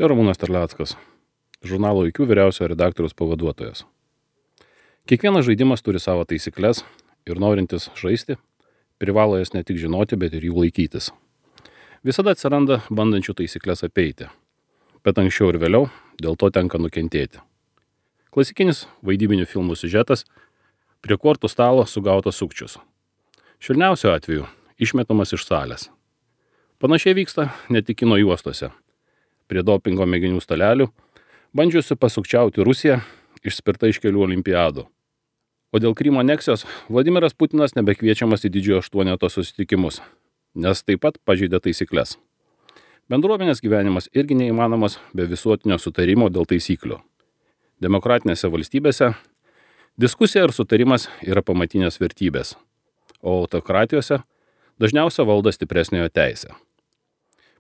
Čia Ramūnas Terleckas, žurnalo IQ vyriausiojo redaktoriaus pavaduotojas. Kiekvienas žaidimas turi savo taisyklės ir norintis žaisti, privalo jas ne tik žinoti, bet ir jų laikytis. Visada atsiranda bandančių taisyklės apeiti, bet anksčiau ir vėliau dėl to tenka nukentėti. Klasikinis vaidybinių filmų siužetas – prie kortų stalo sugautas sukčius. Švelniausiu atveju išmetamas iš salės. Panašiai vyksta ne tik kino juostose. Prie dopingo mėginių stalelių bandžiusi pasukčiauti Rusiją išspirta iš kelių olimpiadų. O dėl Krymo aneksijos Vladimiras Putinas nebekviečiamas į didžiojo aštuoneto susitikimus, nes taip pat pažeidė taisyklės. Bendruomenės gyvenimas irgi neįmanomas be visuotinio sutarimo dėl taisyklių. Demokratinėse valstybėse diskusija ir sutarimas yra pamatinės vertybės, o autokratijose dažniausiai valdo stipresniojo teisė.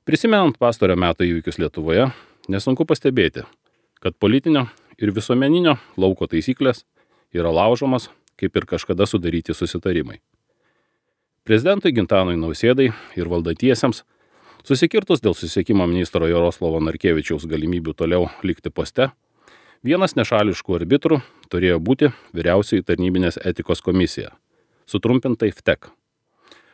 Prisimenant pastarojo meto įvykius Lietuvoje, nesunku pastebėti, kad politinio ir visuomeninio lauko taisyklės yra laužomas, kaip ir kažkada sudaryti susitarimai. Prezidentui Gintanui Nausėdai ir valdantiesiems susikirtus dėl susisiekimo ministro Jaroslavo Narkevičiaus galimybių toliau likti poste, vienas nešališkų arbitrų turėjo būti Vyriausioji tarnybinės etikos komisija, sutrumpintai VTEK.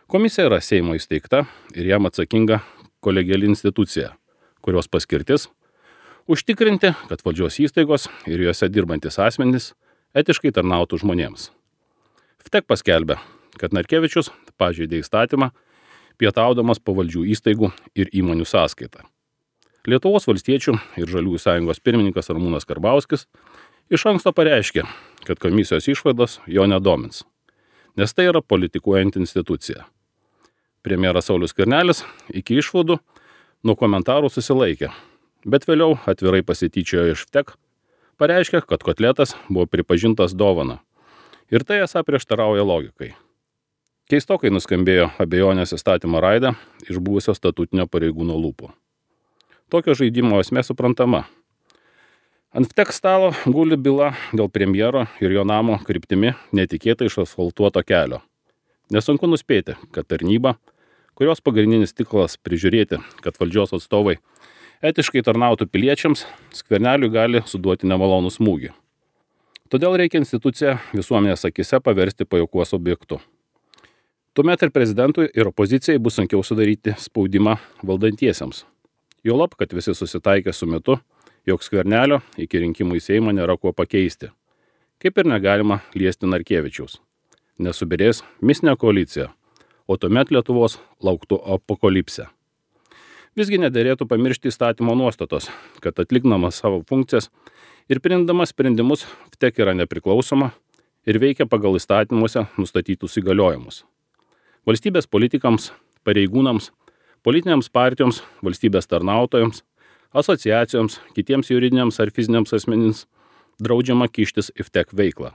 Komisija yra Seimo įsteigta ir jam atsakinga kolegiali institucija, kurios paskirtis – užtikrinti, kad valdžios įstaigos ir juose dirbantis asmenys etiškai tarnautų žmonėms. VTEK paskelbė, kad Narkevičius pažeidė įstatymą, pietaudamas pavaldžių įstaigų ir įmonių sąskaitą. Lietuvos valstiečių ir Žaliųjų sąjungos pirmininkas Ramūnas Karbauskis iš anksto pareiškė, kad komisijos išvados jo nedomins, nes tai yra politikuojanti institucija. Premjeras Saulius Skvernelis iki išvadų nuo komentarų susilaikė, bet vėliau atvirai pasityčiojo iš VTEK, pareiškė, kad kotletas buvo pripažintas dovana ir tai esą prieštarauja logikai. Keistokai nuskambėjo abejonės įstatymo raida iš buvusio statutinio pareigūno lūpų. Tokio žaidimo esmė suprantama. Ant VTEK stalo guli byla dėl premjero ir jo namo kryptimi netikėtai išasfaltuoto kelio. Nesunku nuspėti, kad tarnyba, kurios pagrindinis tikslas prižiūrėti, kad valdžios atstovai etiškai tarnautų piliečiams, Skverneliui gali suduoti nemalonų smūgį. Todėl reikia instituciją visuomenės akise paversti pajuokos objektu. Tuomet ir prezidentui ir opozicijai bus sunkiau sudaryti spaudimą valdantiesiems. Juolab, kad visi susitaikė su mitu, jog Skvernelio iki rinkimų į Seimą nėra kuo pakeisti. Kaip ir negalima liesti Narkevičiaus. Nesubirės mistinė koalicija, o tuomet Lietuvos lauktų apokalipsė. Visgi nederėtų pamiršti įstatymo nuostatos, kad atlikdamas savo funkcijas ir priimdamas sprendimus VTEK yra nepriklausoma ir veikia pagal įstatymuose nustatytus įgaliojimus. Valstybės politikams, pareigūnams, politinėms partijoms, valstybės tarnautojams, asociacijoms, kitiems juridiniams ar fiziniams asmenims draudžiama kištis į VTEK veiklą.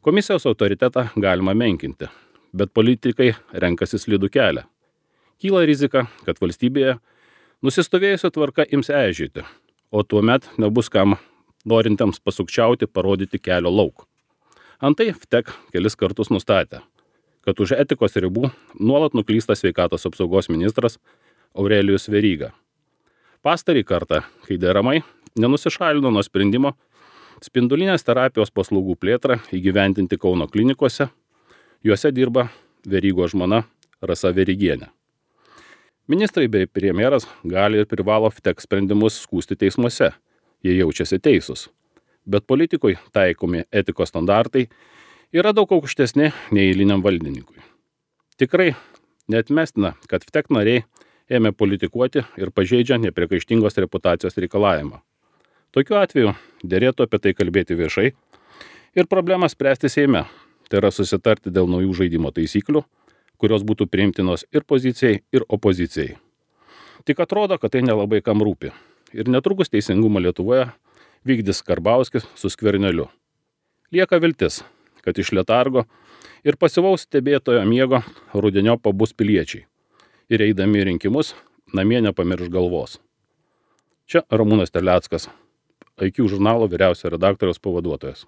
Komisijos autoritetą galima menkinti, bet politikai renkasi slidų kelią. Kyla rizika, kad valstybėje nusistovėjusi tvarka ims eižėti, o tuomet nebus kam norintiems pasukčiauti parodyti kelio lauk. Antai VTEK kelis kartus nustatė, kad už etikos ribų nuolat nuklysta sveikatos apsaugos ministras Aurelijus Veryga. Pastarį kartą, kai deramai nenusišalino nuo sprendimo spindulinės terapijos paslaugų plėtrą įgyvendinti Kauno klinikose, juose dirba Verygos žmona Rasa Verygienė. Ministrai bei premjeras gali ir privalo VTEK sprendimus skųsti teismuose, jie jaučiasi teisūs. Bet politikui taikomi etikos standartai yra daug aukštesni nei eiliniam valdininkui. Tikrai neatmestina, kad VTEK nariai ėmė politikuoti ir pažeidžia nepriekaištingos reputacijos reikalavimą. Tokiu atveju derėtų apie tai kalbėti viešai ir problemą spręsti Seime, tai yra susitarti dėl naujų žaidimo taisyklių, kurios būtų priimtinos ir pozicijai, ir opozicijai. Tik atrodo, kad tai nelabai kam rūpi ir netrukus teisingumą Lietuvoje vykdys Karbauskis su Skverneliu. Lieka viltis, kad iš letargo ir pasyvaus stebėtojo miego rudeniop pabus piliečiai ir eidami rinkimus namie nepamirš galvos. Čia Ramūnas Terleckas, IQ žurnalo vyriausiojo redaktoriaus pavaduotojas.